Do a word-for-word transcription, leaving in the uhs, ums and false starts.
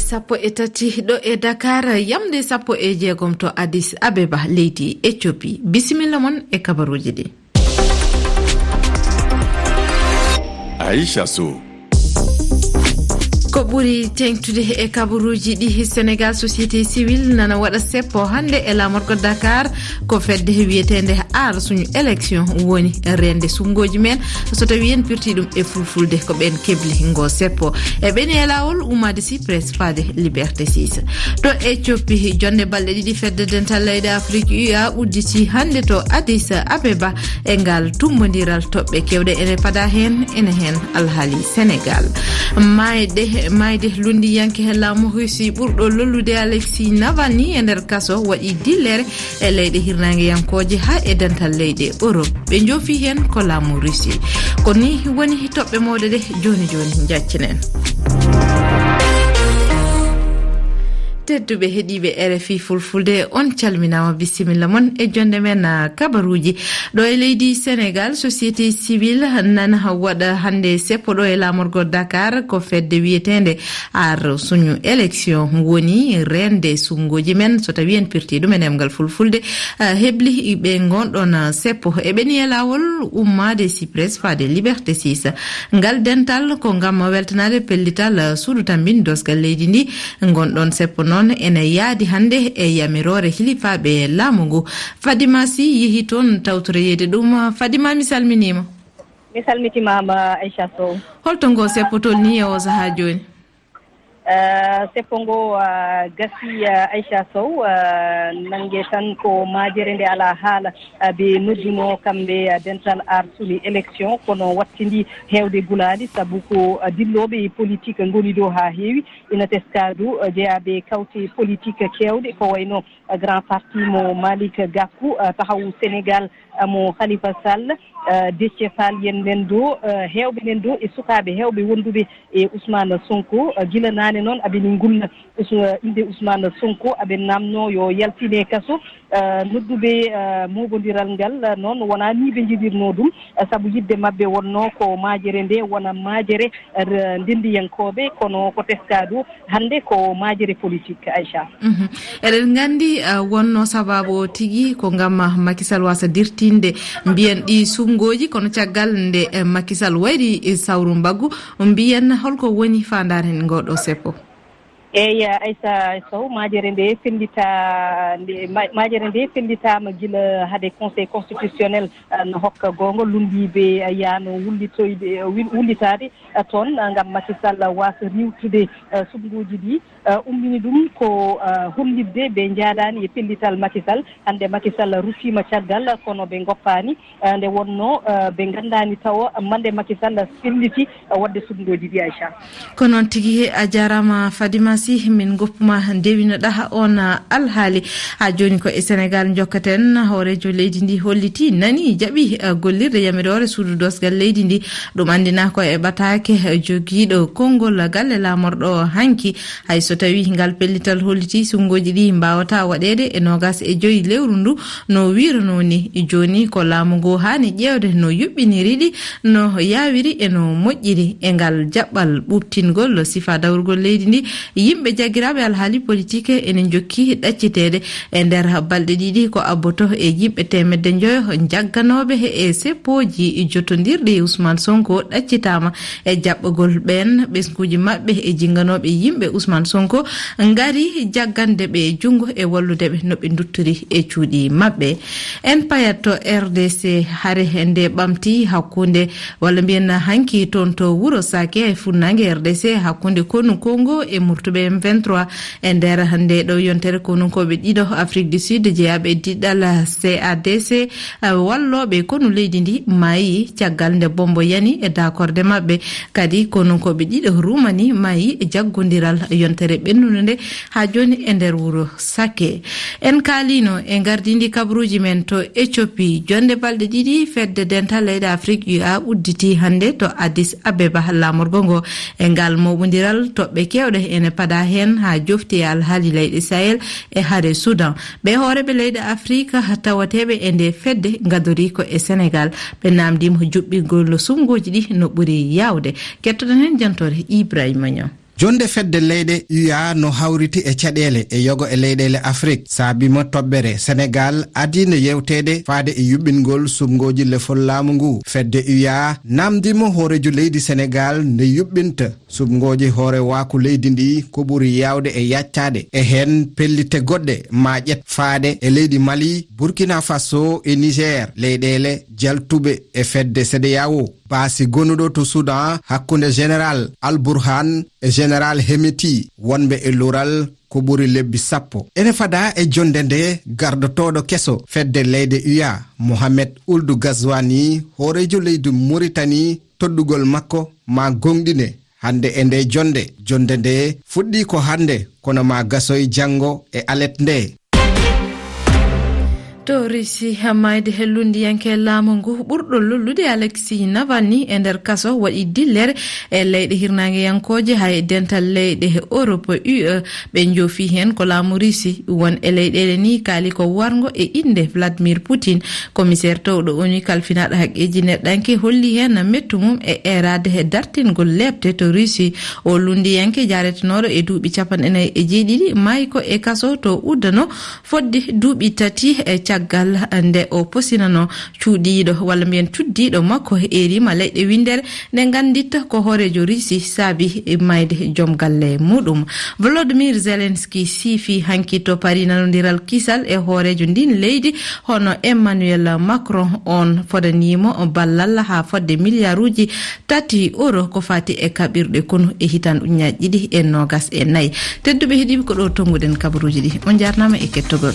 Sappo e tati ɗo e Dakar, yamde sappo e jeegom to Addis Abeba, leydi Ethiopie. Bisimilla mon e kabaruuji ɗi. Aisha Sow. Ko ɓuri teeŋtude e kabaruuji ɗi, Sénégal, société civile nana waɗa seppo hannde e laamorgo Dakar. Ko fedde wiyeteende Aar Suñu Élection woni reende sunngooji men, so tawii en pirtii ɗum e fulfulde, ko ɓeen kebli ngo seppo. E ɓeni e laawol ummaade Cyprus faade Liberté six. To Ethiopie, jonnde balɗe ɗiɗi fedde dental leyɗe Afrik U A udditi hannde to Addis Abeba. E ngal tummbondiral, toɓɓe keewɗe ene pada heen, ene heen alhaali Sénégal. Maayde, maayde lunndiyanke laamu Russie ɓurɗo lollude Alexei Navalny e nder kaso waɗi dillere e leyɗe hirnaangeyankooje haa e dental leyɗe Europe. Ɓe njoofi heen ko laamu Russie. Ko ni woni toɓɓe mawɗe ɗe jooni jooni, njaccinen. Tedduɓe heɗiiɓe R F I Fulfulde, on calminaama, bisimilla mon e jonnde men, ah, kabaruuji. Ɗo e leydi Sénégal, société civile nana waɗa hannde seppo ɗo e laamorgo Dakar, ko fedde wiyeteende Aar Suñu Élection woni reende sunngooji men, so tawii en pirtii ɗum e ɗemngal fulfulde. Ah, hebli ɓe ngon ɗon, ah, seppo e ɓeni e laawol ummaade Cyprus faade Liberté six. Ngal dental ko ngam weltanaade pellital, ah, suudu tammbin doosgal leydi ndi. Ngon ɗon seppo noon ene yaadi hannde e yamiroore hilifaaɓe laamu ngu. Fadima Sy yehi toon tawtoroyeede ɗum. Fadima, mi salminiima. Mi salmitimaama, Aisha Sow. Holto ngo seppo tolni e o sahaa jooni? Eh, seppo ngo, ah, gasi, ah, Aisha Sow, ah, nannge tan ko majere nde alaa haala, ah, ɓe nodduno kamɓe, ah, dental Aar Suñu Élection, kono wattindi heewde gulaali, sabu ko, ah, dillooɓe e politique ngoni ɗo haa heewi. Ina teska du, ah, jeyaaɓe kawte politique keewɗe, ko wayno, ah, Grand Parti mo Malick Gakou, ah, Taxawu Sénégal, ah, mo Khalifa Sall, ah, Déthié Fall, yen nen do, ah, heewɓe nen do e sukaaɓe heewɓe wonduɓe e Ousmane Sonko, ah, gila naane noon aɓe ni ngulla Ous-, innde Ousmane Sonko, aɓe naamno yo yaltine kaso. Ah, nodduɓe, ah, mooɓondiral ngal, ah, noon wonaa ni ɓe njiɗirno ɗum, ah, sabu yiɗde maɓɓe wonno ko majere nde wona majere, ah, r-, ndenndiyankooɓe, kono ko teska du hannde ko majere politique, Aisha. Mhm. Eɗen nganndi, ah, wonno sababu o tigi ko ngam, ah, Macky Sall wasa dirtinde, mbiyen, ɗi sunngooji, kono caggal nde, eh, Macky Sall wayri, eh, sawru mbaggu, mbiyen holko woni faandaare ngoɗo seppo? Eey, Aisha Sow, majere nde fellita, nde, ma-, majere nde fellitaama gila hade Conseil constitutionnel, ah, no hokka goonga lunndiiɓe, ah, yaano wullitoyde, ah, wi-, wullitaade, ah, toon, ah, ngam Macky Sall waasa riiwtude, ah, suɓngooji ɗi. Ah, ummini ɗum ko, ah, hollitde ɓe njaadaani e pellital Macky Sall. Hannde Macky Sall ruttiima caggal, kono ɓe ngoppaani. Ah, nde wonno, ah, ɓe nganndaani tawo mande Macky Sall felliti, ah, waɗde suɓngooji ɗi, Aisha. Ko noon tigi, a jaaraama Fadima Sy, min ngoppuma ndewinoɗaa on, ah, alhaali. Haa jooni ko e Sénégal njokkaten. Hooreejo leydi ndi holliti, nani, jaɓi, ah, gollirde yamiroore suudu doosgal leydi ndi. Ɗum anndina ko e ɓataake, ah, jogiiɗo konngol galle laamorɗo hanki. Hay so tawii ngal pellital holliti suɓngooji ɗi mbaawataa waɗeede e noogas e joy lewru ndu, no wiiranoo ni, jooni ko laamu ngu haani ƴeewde no yuɓɓiniri ɗi, no yaawiri e no moƴƴiri. E ngal jaɓɓal ɓuuɓtingol sifaa dawrugol leydi ndi, yimɓe jaggiraaɓe alhaali politik ene njokki ɗacciteede. E nder balɗe ɗiɗi, ko abboto e yimɓe teemedde njoyo jagganooɓe e seppooji jotondirɗi e Ousmane Sonko ɗaccitaama e jaɓɓagol ɓeen ɓesnguuji maɓɓe e jinnganooɓe yimɓe Ousmane Sonko ngari jaggande ɓe junngo e wallude ɓe no ɓe nduttori e cuuɗi maɓɓe. En payat to R D C, hare nde ɓamti hakkunde, walla mbiyen hanki toon to wuro Sake e funnaange R D C, hakkunde konu Congo e murtuɓe M vingt-trois. E nder nde ɗo yontere, konunkooɓe ɗiɗo Afrique du Sud jeyaaɓe e diɗɗal C A D C, eh, wallooɓe konu leydi ndi maayi caggal nde bombo yani e daakorde maɓɓe. Kadi konunkooɓe ɗiɗo Rumani maayi e jaggondiral yontere ɓennunde nde haa jooni e nder wuro Sake. En kaalino e ngardiindi kabaruuji men to Ethiopie. Jonnde balɗe ɗiɗi fedde dental leyɗe Afrique U A udditi hannde to Addis Abeba, laamorgo ngo. E ngal mooɓondiral, toɓɓe keewɗe ene pada heen haa jofti e alhaali leyɗe Sahel e hare Soudan. Ɓe hooreeɓe leyɗe Afrique tawateeɓe e nde fedde ngadori ko e Sénégal. Ɓe naamndiima juɓɓingol suɓngooji ɗi no ɓuri yaawde. Kettoɗen heen jantoore Ibrahima Niang. Jonde fedde leyɗe U A no hawriti e caɗeele e yogo e leyɗeele Afrik, saabima toɓɓere Senegal adii no yewteede faade e yuɓɓingol suɓngooji lefol laamu ngu. Fedde U A namdima hooreejo leydi Senegal nde yuɓɓinta suɓngooji hoore waaku leydi ndi ko ɓuri yaawde e yaccaade. E heen pellite goɗɗe ma ƴet faade e leydi Mali, Burkina Faso e Niger, leyɗeele jaltuɓe e fedde CEDEAO. Baasi gonuɗo to Sudan hakkunde Général Al Burhan e Général Hemeti wonɓe e lural ko ɓuri lebbi sappo. Ene fada e jonde nde gardotooɗo keso fedde leyɗe U A, Mohamed Ould Ghazouani, hooreejo leydi Mauritanie, toɗɗugol makko ma goongɗine hannde e nde jonde. Jonde nde fuɗɗii ko hannde, kono ma gasoy janngo e alet nde. To Russie, maayde he lunndiyanke laamu ngu ɓurɗo lollude Alexei Navalny e nder kaso waɗi dillere e leyɗe hirnaangeyankooje, hay dental leyɗe Europe U E. Ɓe njoofi heen ko laamu Russie. Won e leyɗeele ni kaali ko warngo e innde Vladimir Putin, commissaire towɗo ONU kalfinaaɗo haqqeeji neɗɗanke, holli heen mettu mum e eeraade he dartingol leepte to Russie. O lunndiyanke jaaretenooɗo e duuɓi capanɗe nayi e jeeɗiɗi maayi ko e kaso to uddano fodde duuɓi tati e caggal nde o posinano cuuɗiiɗo, walla mbiyen cuddiiɗo makko, erima leyɗe winndere, nde ngannditta ko hooreejo Russie saabi mayde joom galle muɗum. Volodymyr Zelensky siifi hanki to Paris nanondiral kisal e hooreejo ndin leydi, hono Emmanuel Macron. On fodaniimo ballal haa fodde miliyaaruuji tati euro ko fati e kaɓirɗe konu e hitan ujunnaaji ɗiɗi e noogas e nayi. Tedduɓe heɗiiɓe, ko ɗo tonnguɗen kabaruuji ɗi. On njaarnaama e kettogol.